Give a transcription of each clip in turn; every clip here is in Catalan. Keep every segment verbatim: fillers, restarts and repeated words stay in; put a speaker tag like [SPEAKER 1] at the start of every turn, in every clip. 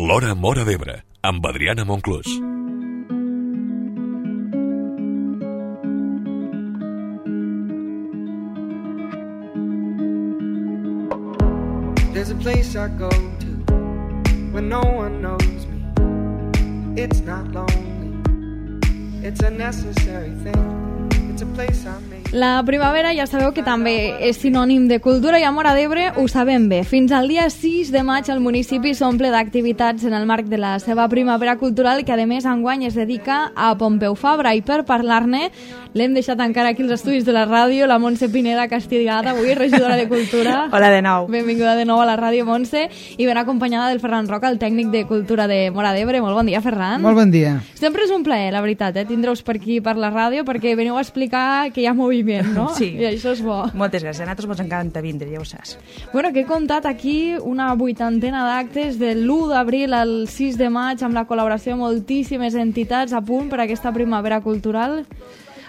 [SPEAKER 1] L'Hora Móra d'Ebre, amb Adriana Monclús.
[SPEAKER 2] There's a place I go to when no one knows me. It's not lonely. It's a necessary thing. It's a place I made.
[SPEAKER 3] La primavera ja sabeu que també és sinònim de cultura i a Móra d'Ebre ho sabem bé. Fins al dia sis de maig el municipi s'omple d'activitats en el marc de la seva primavera cultural, que a més enguany es dedica a Pompeu Fabra, i per parlar-ne l'hem deixat encara aquí als estudis de la ràdio, la Montse Pineda Castigada, avui regidora de Cultura.
[SPEAKER 4] Hola de nou.
[SPEAKER 3] Benvinguda de nou a la ràdio, Montse, i ben acompanyada del Ferran Roca, el tècnic de Cultura de Móra d'Ebre. Molt bon dia, Ferran.
[SPEAKER 5] Molt bon dia.
[SPEAKER 3] Sempre és un plaer, la veritat, eh, tindre-us per aquí per la ràdio, perquè veniu a explicar que hi ha moviment, no?
[SPEAKER 4] Sí.
[SPEAKER 3] I això és bo.
[SPEAKER 4] Moltes gràcies. A nosaltres ens encanta vindre, ja ho saps.
[SPEAKER 3] Bueno, que he comptat aquí una vuitantena d'actes de l'u d'abril al sis de maig, amb la col·laboració de moltíssimes entitats a punt per a aquesta primavera cultural.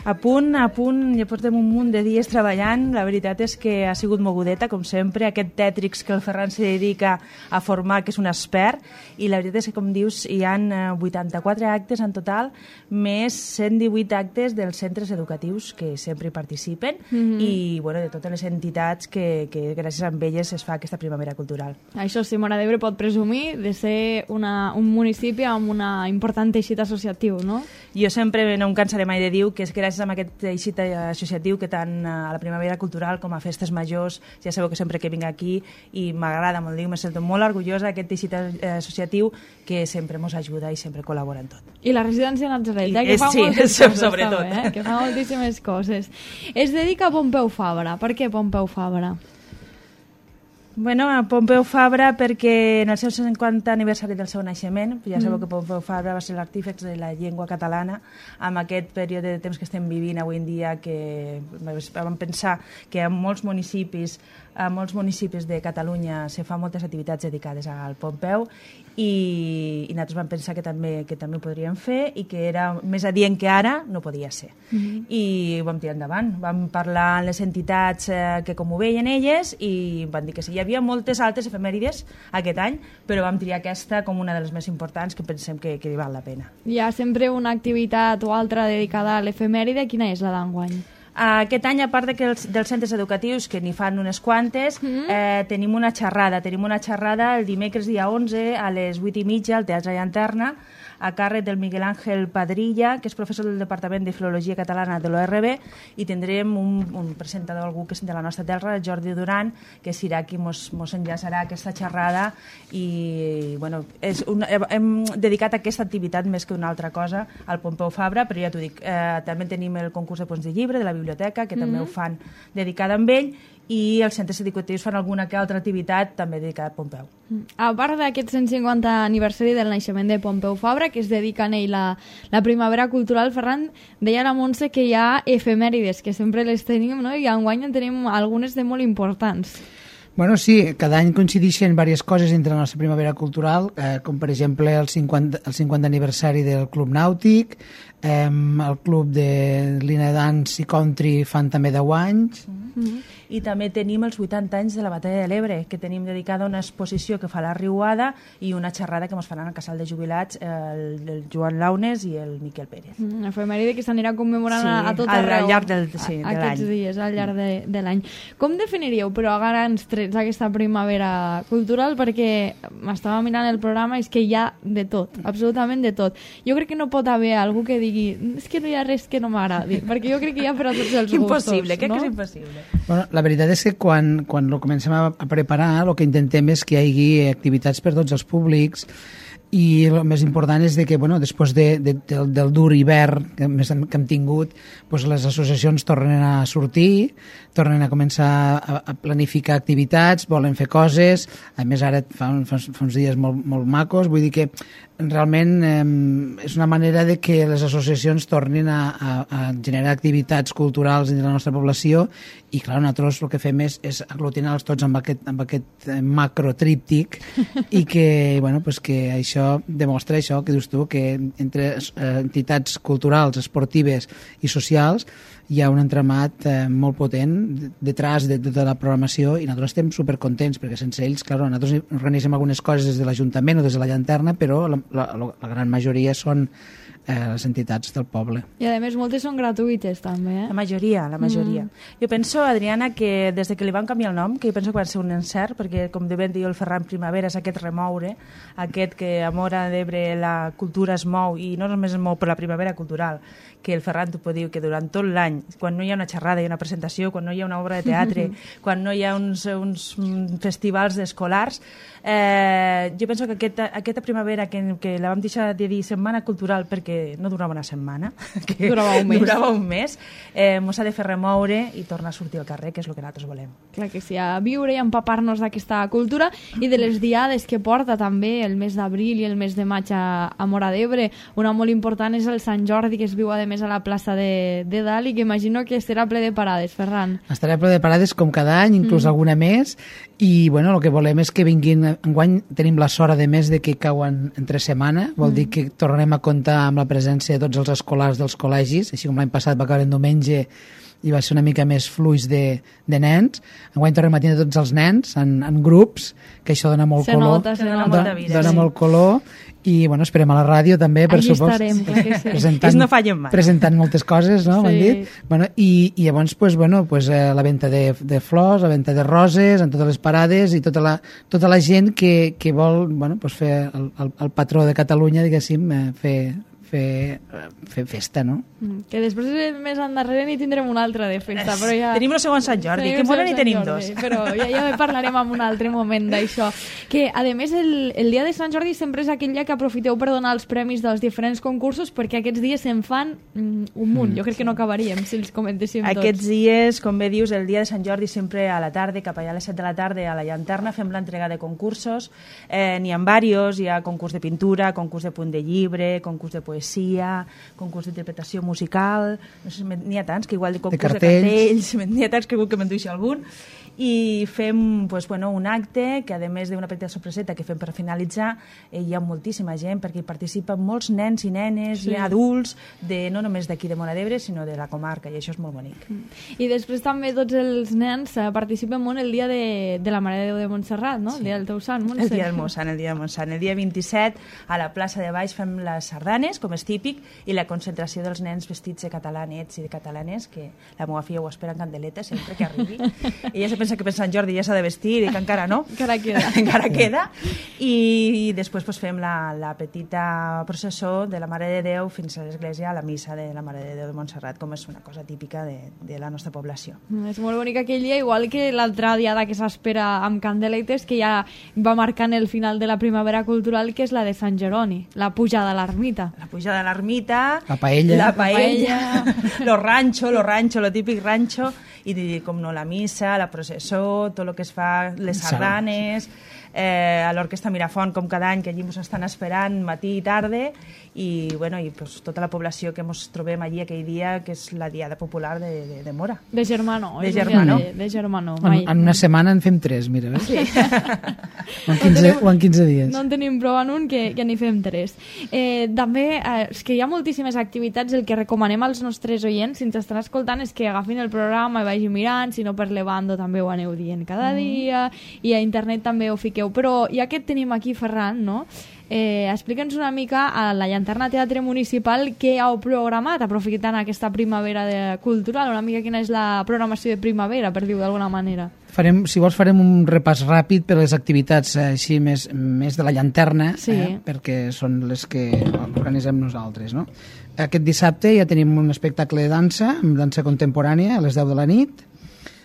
[SPEAKER 4] A punt, a punt, ja portem un munt de dies treballant. La veritat és que ha sigut mogudeta, com sempre, aquest tètrix que el Ferran se dedica a formar, que és un expert, i la veritat és que, com dius, hi ha vuitanta-quatre actes en total, més cent divuit actes dels centres educatius que sempre hi participen, mm-hmm. i bueno, de totes les entitats que, que gràcies a elles es fa aquesta primavera cultural.
[SPEAKER 3] Això sí, Móra d'Ebre pot presumir de ser una, un municipi amb una important teixit associatiu, no?
[SPEAKER 4] Jo sempre no em cansaré mai de dir que és gràcies a aquest teixit associatiu que tant a la primavera cultural com a festes majors, ja sabeu que sempre que vinc aquí i m'agrada molt dir, me sento molt orgullosa d'aquest teixit associatiu que sempre ens ajuda i sempre col·labora en tot.
[SPEAKER 3] I la residència Natzaret, eh, que fa
[SPEAKER 4] sí,
[SPEAKER 3] moltes coses,
[SPEAKER 4] sobretot.
[SPEAKER 3] també, eh, que fa moltíssimes coses. Es dedica a Pompeu Fabra. Per què Pompeu Fabra?
[SPEAKER 4] Bueno, a Pompeu Fabra perquè en el seu cinquantè aniversari del seu naixement, ja sabeu mm. que Pompeu Fabra va ser l'artífex de la llengua catalana amb aquest període de temps que estem vivint avui en dia, que vam pensar que a molts municipis a molts municipis de Catalunya se fan moltes activitats dedicades al Pompeu i, i nosaltres vam pensar que també, que també ho podríem fer i que era més adient que ara no podia ser. Mm-hmm. I ho vam tirar endavant. Vam parlar amb les entitats eh, que com ho veien elles i van dir que sí. Hi havia moltes altres efemèrides aquest any, però vam triar aquesta com una de les més importants que pensem que, que val la pena.
[SPEAKER 3] Hi ha sempre una activitat o altra dedicada a l'efemèride. Quina és la d'enguany?
[SPEAKER 4] Aquest any, a part de que els, dels centres educatius, que n'hi fan unes quantes, mm. eh, tenim una xerrada. Tenim una xerrada el dimecres dia onze a les vuit i mitja al Teatre Llanterna, a càrrec del Miguel Ángel Padrilla, que és professor del Departament de Filologia Catalana de l'O R B, i tindrem un, un presentador, algú que és de la nostra terra, Jordi Duran, que serà qui mos, mos enllaçarà aquesta xerrada i bueno, és una, hem dedicat aquesta activitat més que una altra cosa al Pompeu Fabra, però ja t'ho dic, eh, també tenim el concurs de punts de llibre de la biblioteca, que mm-hmm. també ho fan dedicada amb ell, i els centres educatius fan alguna que altra activitat també dedicada a Pompeu.
[SPEAKER 3] A part d'aquest cent cinquantè aniversari del naixement de Pompeu Fabra, que es dedica a ell la, la primavera cultural, Ferran, deia la Montse que hi ha efemèrides, que sempre les tenim, no? I enguany en tenim algunes de molt importants.
[SPEAKER 5] Bueno, sí, cada any coincideixen diverses coses entre la nostra primavera cultural, eh, com per exemple el cinquanta, el cinquantè aniversari del Club Nàutic, eh, el Club de Lina Dance i Country fan també deu anys.
[SPEAKER 4] Mm-hmm. I també tenim els vuitanta anys de la Batalla de l'Ebre, que tenim dedicada a una exposició que fa la Riuada i una xerrada que ens faran al casal de jubilats el, el Joan Launes i el Miquel Pérez.
[SPEAKER 3] Mm, efemèride que s'anirà commemorant
[SPEAKER 4] sí,
[SPEAKER 3] a tot
[SPEAKER 4] al,
[SPEAKER 3] arreu.
[SPEAKER 4] Al llarg del, sí, de l'any.
[SPEAKER 3] Aquests dies, al llarg de, de l'any. Com definiríeu, però, a grans trets aquesta primavera cultural? Perquè m'estava mirant el programa i és que hi ha de tot, absolutament de tot. Jo crec que no pot haver algú que digui és que no hi ha res que no m'agradi, perquè jo crec que hi ha per a tots els gustos.
[SPEAKER 4] Impossible, crec
[SPEAKER 3] no?
[SPEAKER 4] que és impossible.
[SPEAKER 5] Bueno, la veritat és que quan, quan lo comencem a, a preparar, el que intentem és que hi hagi activitats per tots els públics, i el més important és de que, bueno, després de, de, del, del dur hivern que, hem, que hem tingut, doncs les associacions tornen a sortir, tornen a començar a, a planificar activitats, volen fer coses, a més ara fa, fa, fa uns dies molt, molt macos, vull dir que realment eh, és una manera de que les associacions tornin a, a, a generar activitats culturals entre la nostra població i, clar, nosaltres el que fem és, és aglutinar-los tots amb aquest, amb aquest macrotríptic i que, bueno, pues que això demostra això que dius tu, que entre entitats culturals, esportives i socials hi ha un entramat eh, molt potent detrás de tota la programació i nosaltres estem supercontents perquè sense ells, clar, nosaltres organitzem algunes coses des de l'Ajuntament o des de la llanterna, però la, la, la gran majoria són eh, les entitats del poble.
[SPEAKER 3] I a més moltes són gratuïtes també, eh?
[SPEAKER 4] La majoria, la majoria. Mm. Jo penso, Adriana, que des de que li van canviar el nom, que jo penso que va ser un encert, perquè com de ben diu el Ferran Primavera, és aquest remoure, aquest que a Móra d'Ebre la cultura es mou, i no només es mou per la primavera cultural, que el Ferran t'ho pot dir, que durant tot l'any, quan no hi ha una xerrada i una presentació, quan no hi ha una obra de teatre, quan no hi ha uns, uns festivals escolars, eh, jo penso que aquesta, aquesta primavera que, que la vam deixar de dir setmana cultural perquè no durava una setmana, que
[SPEAKER 3] durava un mes,
[SPEAKER 4] durava un mes eh, mos ha de fer remoure i tornar a sortir al carrer, que és el que nosaltres volem.
[SPEAKER 3] Clar que sí, a viure i empapar-nos d'aquesta cultura i de les diades que porta també el mes d'abril i el mes de maig a, a Móra d'Ebre. Una molt important és el Sant Jordi, que es viu a més a la plaça de, de dalt i que imagino que estarà ple de parades, Ferran.
[SPEAKER 5] Estarà ple de parades com cada any, inclús mm. alguna més, i bueno, el que volem és que vinguin, enguany tenim la sort de més de que cauen entre setmana, vol mm. dir que tornarem a comptar amb la presència de tots els escolars dels col·legis, així com l'any passat va caure en diumenge i va ser una mica més fluix de, de nens. Enguany tornem a tenir tots els nens en, en grups, que això dona molt
[SPEAKER 3] se
[SPEAKER 5] color.
[SPEAKER 3] Nota, se
[SPEAKER 4] dona,
[SPEAKER 3] nota.
[SPEAKER 4] molta vida,
[SPEAKER 5] dona
[SPEAKER 4] sí.
[SPEAKER 5] molt color i bueno, esperem a la ràdio també, per
[SPEAKER 3] Allí
[SPEAKER 5] supost,
[SPEAKER 3] estarem, clar que sí.
[SPEAKER 5] presentant,
[SPEAKER 4] no fallen mai.
[SPEAKER 5] presentant moltes coses, no?
[SPEAKER 3] Sí.
[SPEAKER 5] Dit? Bueno, i, i llavors pues, bueno, pues, eh, la venda de, de flors, la venda de roses en totes les parades i tota la, tota la gent que, que vol bueno, pues, fer el, el, el patró de Catalunya, diguéssim, eh, fer Fer, fer festa, no?
[SPEAKER 3] Que després més endarrere n'hi tindrem una altra de festa, però ja...
[SPEAKER 4] Tenim el segon Sant Jordi, que molt n'hi tenim dos.
[SPEAKER 3] Però ja, ja parlarem en un altre moment d'això. Que, a més, el, el dia de Sant Jordi sempre és aquell dia que aprofiteu per donar els premis dels diferents concursos, perquè aquests dies se'n fan mm, un munt. Jo crec que no acabaríem si els comentéssim tots.
[SPEAKER 4] Aquests dies, com bé dius, el dia de Sant Jordi sempre a la tarda, cap allà a les set de la tarda a la llanterna, fem l'entrega de concursos. Eh, n'hi ha diversos, hi ha concurs de pintura, concurs de punt de llibre, concurs de poesia, poesia, concurs d'interpretació musical, no sé, n'hi ha tants que igual de concurs de cartells, de cartells n'hi ha tants que, que me'n duixi algun, i fem pues, bueno, un acte que a més d'una petita sorpreseta que fem per finalitzar, eh, hi ha moltíssima gent perquè hi participen molts nens i nenes sí. i adults, de, no només d'aquí de Móra d'Ebre sinó de la comarca, i això és molt bonic.
[SPEAKER 3] I després també tots els nens eh, participen molt el dia de, de la Mare de Déu de Montserrat, no? Sí. El dia del teu sant, Montse.
[SPEAKER 4] El dia del meu sant, el dia de Montsant. El dia vint-i-set a la plaça de Baix fem les sardanes, com és típic, i la concentració dels nens vestits de catalanets i de catalanes, que la meva filla ho espera en candeleta sempre que arribi. Ella se pensa que per Sant Jordi ja s'ha de vestir i que encara no.
[SPEAKER 3] Encara queda.
[SPEAKER 4] encara queda. I, i després pues, fem la, la petita processó de la Mare de Déu fins a l'església, a la missa de la Mare de Déu de Montserrat, com és una cosa típica de, de la nostra població.
[SPEAKER 3] És molt bonic aquell dia, igual que l'altra diada que s'espera amb candeletes, que ja va marcant el final de la primavera cultural, que és la de Sant Jeroni, la pujada a l'ermita.
[SPEAKER 4] La pujada a l'ermita,
[SPEAKER 5] la paella,
[SPEAKER 4] la paella, lo rancho, lo rancho, lo típic rancho, i com no la missa, la processó, tot el que es fa, les sardanes, eh, a l'Orquestra Mirafont, com cada any, que allí ens estan esperant matí i tarda, i, bueno, i pues, tota la població que ens trobem allí aquell dia, que és la diada popular de, de, de Mora.
[SPEAKER 3] De Germano.
[SPEAKER 4] De Germano.
[SPEAKER 3] De, de Germano.
[SPEAKER 5] En, en una setmana en fem tres, mira. Sí. o, en quinze, no tenim, o en quinze dies.
[SPEAKER 3] No en tenim prou en un, que, que n'hi fem tres. Eh, també, eh, és que hi ha moltíssimes activitats, el que recomanem als nostres oients, si ens estan escoltant, és que agafin el programa i vagin mirant, si no per Levando també ho aneu dient cada mm. dia, i a internet també ho fiqueu. Però ja que et tenim aquí, Ferran, no? Eh, explica'ns una mica a la Llanterna Teatre Municipal què heu programat aprofitant aquesta primavera de cultural, una mica quina és la programació de primavera, per dir-ho d'alguna manera.
[SPEAKER 5] Farem, si vols farem un repàs ràpid per les activitats eh, així més, més de la Llanterna,
[SPEAKER 3] sí.
[SPEAKER 5] eh, perquè són les que organitzem nosaltres, no? Aquest dissabte ja tenim un espectacle de dansa, amb dansa contemporània a les deu de la nit.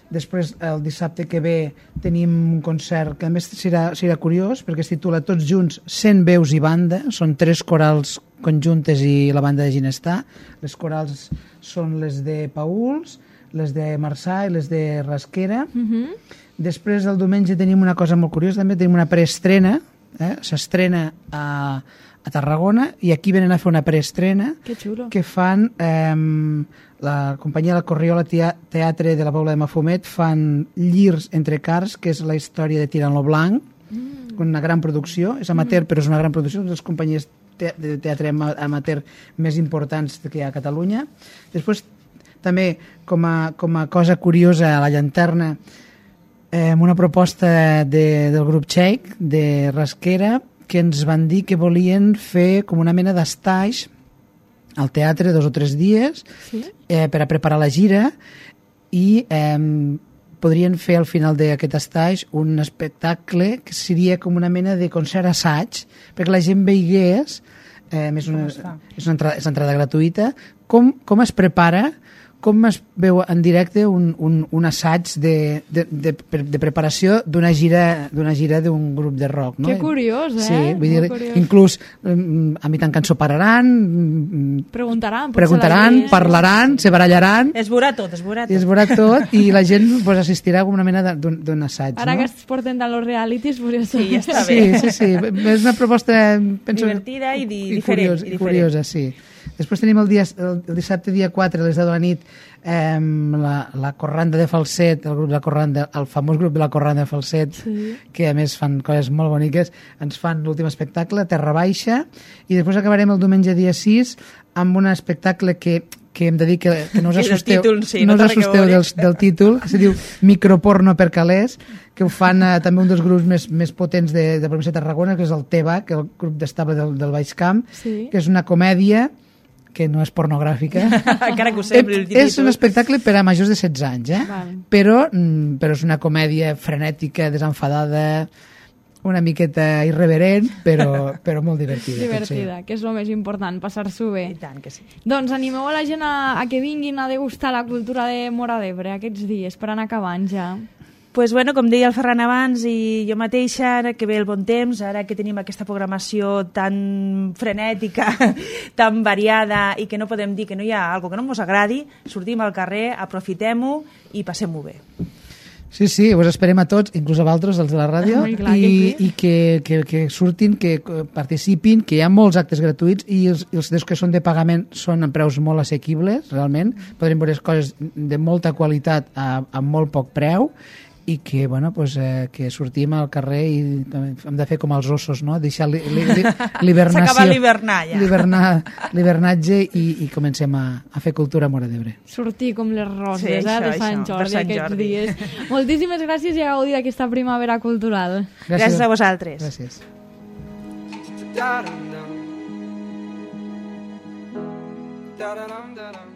[SPEAKER 5] Després, el dissabte que ve, tenim un concert que a més serà, serà curiós perquè es titula Tots junts, cent veus i banda. Són tres corals conjuntes i la banda de Ginestà. Les corals són les de Pauls, les de Marçà i les de Rasquera. Uh-huh. Després, el diumenge, tenim una cosa molt curiosa. També tenim una preestrena. Eh? S'estrena a, a Tarragona i aquí venen a fer una preestrena que fan eh, la companyia de la Corriola Teatre de la Pobla de Mafumet, fan Llirs entre cars, que és la història de Tirant lo Blanc, mm. una gran producció, és amateur mm. però és una gran producció, una de les companyies te de teatre amateur més importants que hi ha a Catalunya. Després també com a, com a cosa curiosa a la llanterna eh, una proposta de, del grup txec de Rasquera, que ens van dir que volien fer com una mena d'estaix al teatre dos o tres dies
[SPEAKER 3] Sí?
[SPEAKER 5] eh, per a preparar la gira i eh, podrien fer al final d'aquest estaix un espectacle que seria com una mena de concert assaig perquè la gent veigués eh, és, una,
[SPEAKER 4] es fa?
[SPEAKER 5] és, una entrada, és una entrada gratuïta com, com es prepara com es veu en directe un, un, un assaig de, de, de, de preparació d'una gira d'una gira d'un grup de rock, no?
[SPEAKER 3] Que curiós, eh?
[SPEAKER 5] Sí, vull
[SPEAKER 3] Molt
[SPEAKER 5] dir,
[SPEAKER 3] curiós.
[SPEAKER 5] inclús mm, a mitjan cançó pararan, mm,
[SPEAKER 3] Preguntaran. potser
[SPEAKER 5] preguntaran,
[SPEAKER 3] la gent.
[SPEAKER 5] parlaran, se barallaran,
[SPEAKER 4] Es veurà tot, es veurà
[SPEAKER 5] i es
[SPEAKER 4] tot.
[SPEAKER 5] veurà tot, i la gent pues, assistirà a una mena de- d'un d'un assaig.
[SPEAKER 3] Ara
[SPEAKER 5] no?
[SPEAKER 3] que es porten de los realities, podria ser.
[SPEAKER 4] Sí, ja està
[SPEAKER 5] Sí,
[SPEAKER 4] bé.
[SPEAKER 5] sí, sí. És una proposta penso,
[SPEAKER 4] Divertida i di-
[SPEAKER 5] i
[SPEAKER 4] diferent,
[SPEAKER 5] curiosa,
[SPEAKER 4] i
[SPEAKER 5] i
[SPEAKER 4] diferent.
[SPEAKER 5] curiosa, sí. Després tenim el, dia, el, el dissabte dia quatre a les deu de la nit eh, la, la Corranda de Falset, el grup de la Corranda, el famós grup de la Corranda de Falset,
[SPEAKER 3] Sí.
[SPEAKER 5] que a més fan coses molt boniques, ens fan l'últim espectacle, Terra Baixa, i després acabarem el diumenge dia sis amb un espectacle que que hem de dir que, que no us
[SPEAKER 4] Que del
[SPEAKER 5] assusteu,
[SPEAKER 4] títol, sí,
[SPEAKER 5] no
[SPEAKER 4] no
[SPEAKER 5] us
[SPEAKER 4] té res a
[SPEAKER 5] assusteu
[SPEAKER 4] veure.
[SPEAKER 5] del, del títol, que se diu Microporno per calés, que ho fan eh, també un dels grups més, més potents de, de la província de Tarragona, que és el Teva, que és el grup d'estable del, del Baix Camp,
[SPEAKER 3] Sí.
[SPEAKER 5] que és una comèdia que no és pornogràfica.
[SPEAKER 4] Encara que ho sembli, el
[SPEAKER 5] és un
[SPEAKER 4] títol.
[SPEAKER 5] espectacle per a majors de setze anys, eh?
[SPEAKER 3] Val.
[SPEAKER 5] Però, mm, però és una comèdia frenètica, desenfadada, una miqueta irreverent, però, però molt divertida.
[SPEAKER 3] Divertida, que és el més important, passar-s'ho bé.
[SPEAKER 4] I tant que sí.
[SPEAKER 3] Doncs animeu a la gent a, a que vinguin a degustar la cultura de Móra d'Ebre aquests dies, per anar acabant ja.
[SPEAKER 4] Pues bueno, com deia el Ferran abans i jo mateixa, ara que ve el bon temps, ara que tenim aquesta programació tan frenètica, tan variada i que no podem dir que no hi ha alguna que no ens agradi, sortim al carrer, aprofitem-ho i passem-ho bé.
[SPEAKER 5] Sí, sí, us esperem a tots, inclús a vosaltres, els de la ràdio,
[SPEAKER 3] Ai, clar que
[SPEAKER 5] i,
[SPEAKER 3] sí.
[SPEAKER 5] i que, que, que surtin, que participin, que hi ha molts actes gratuïts i els, i els dels que són de pagament són a preus molt assequibles, realment. Podrem veure coses de molta qualitat a, a molt poc preu i que, bueno, pues, eh, que sortim al carrer i hem de fer com els ossos, no? Deixar li, li, li, l'hibernació.
[SPEAKER 4] S'acaba l'hivernar, ja.
[SPEAKER 5] L'hivernar, l'hivernatge i, i comencem a, a fer cultura a Móra d'Ebre.
[SPEAKER 3] Sortir com les roses,
[SPEAKER 4] Sí,
[SPEAKER 3] eh,
[SPEAKER 4] això,
[SPEAKER 3] de Sant
[SPEAKER 4] això,
[SPEAKER 3] Jordi
[SPEAKER 4] per Sant
[SPEAKER 3] aquests
[SPEAKER 4] Jordi.
[SPEAKER 3] dies. Moltíssimes gràcies i a gaudir d'aquesta primavera cultural.
[SPEAKER 4] Gràcies a vosaltres.
[SPEAKER 5] Gràcies.
[SPEAKER 2] Da-dum-dum. Da-da-dum-da-dum.